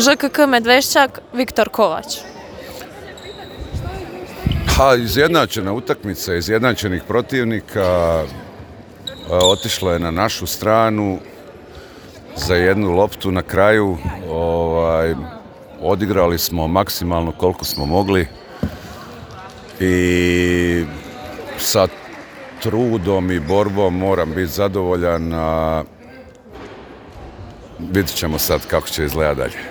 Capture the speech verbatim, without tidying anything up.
Ž K K Medveščak, Viktor Kovač. Ha, izjednačena utakmica, izjednačenih protivnika, otišla je na našu stranu za jednu loptu na kraju. Ovaj, odigrali smo maksimalno koliko smo mogli i sa trudom i borbom moram biti zadovoljan. Vidjet ćemo sad kako će izgledati dalje.